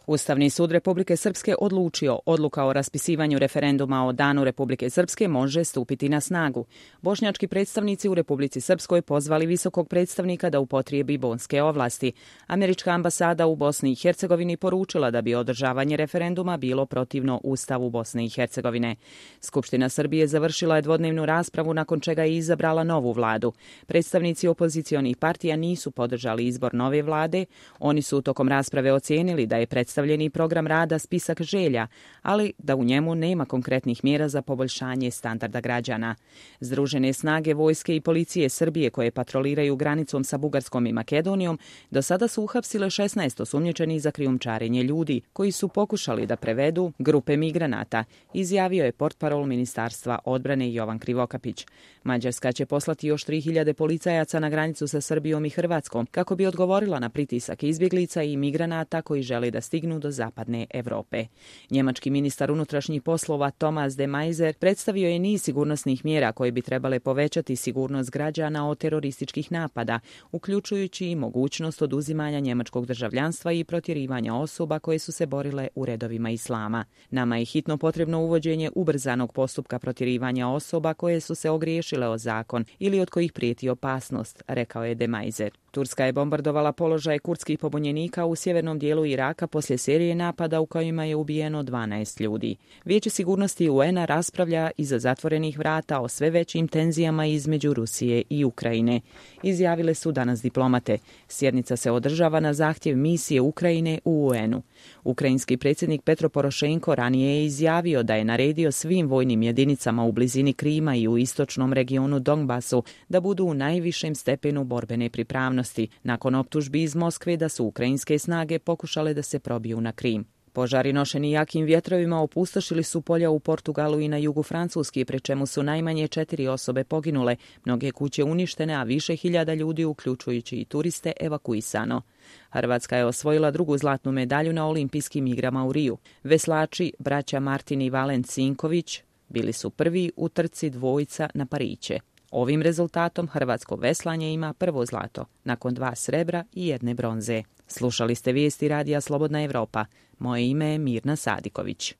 Ustavni sud Republike Srpske odlučio, odluka o raspisivanju referenduma o Danu Republike Srpske može stupiti na snagu. Bošnjački predstavnici u Republici Srpskoj pozvali visokog predstavnika da upotrijebi bonske ovlasti. Američka ambasada u Bosni i Hercegovini poručila da bi održavanje referenduma bilo protivno Ustavu Bosne i Hercegovine. Skupština Srbije završila je dvodnevnu raspravu nakon čega je izabrala novu vladu. Predstavnici opozicionih partija nisu podržali izbor nove vlade. Oni su tokom rasprave ocijenili da je predstavljeni program rada spisak želja, ali da u njemu nema konkretnih mjera za poboljšanje standarda građana. Združene snage vojske i policije Srbije koje patroliraju granicom sa Bugarskom i Makedonijom do sada su uhapsile 16 osumnjičenih za krijumčarenje ljudi koji su pokušali da prevedu grupe migranata, izjavio je portparol Ministarstva odbrane Jovan Krivokapić. Mađarska će poslati još 3000 policajaca na granicu sa Srbijom i Hrvatskom kako bi odgovorila na pritisak izbjeglica i migranata koji žele da stignu do zapadne Evrope. Njemački ministar unutrašnjih poslova Thomas de Maizière predstavio je niz sigurnosnih mjera koje bi trebale povećati sigurnost građana od terorističkih napada, uključujući i mogućnost oduzimanja njemačkog državljanstva i protjerivanja osoba koje su se borile u redovima islama. Nama je hitno potrebno uvođenje ubrzanog postupka protjerivanja osoba koje su se ogriješile o zakon ili od kojih prijeti opasnost, rekao je de Maizière. Turska je bombardovala položaje kurdskih pobunjenika u sjevernom dijelu Iraka poslije serije napada u kojima je ubijeno 12 ljudi. Vijeće sigurnosti UN-a raspravlja iza zatvorenih vrata o sve većim tenzijama između Rusije i Ukrajine. Izjavile su danas diplomate. Sjednica se održava na zahtjev misije Ukrajine u UN-u. Ukrajinski predsjednik Petro Porošenko ranije je izjavio da je naredio svim vojnim jedinicama u blizini Krima i u istočnom regionu Donbasu da budu u najvišem stepenu borbene pripravnosti, nakon optužbi iz Moskve da su ukrajinske snage pokušale da se probiju na Krim. Požari nošeni jakim vjetrovima opustošili su polja u Portugalu i na jugu Francuske, pri čemu su najmanje 4 osobe poginule, mnoge kuće uništene, a više hiljada ljudi, uključujući i turiste, evakuisano. Hrvatska je osvojila drugu zlatnu medalju na olimpijskim igrama u Riju. Veslači, braća Martin i Valen Cinković, bili su prvi u trci dvojica na pariće. Ovim rezultatom hrvatsko veslanje ima prvo zlato, nakon 2 srebra i 1 bronze. Slušali ste vijesti Radija Slobodna Evropa. Moje ime je Mirna Sadiković.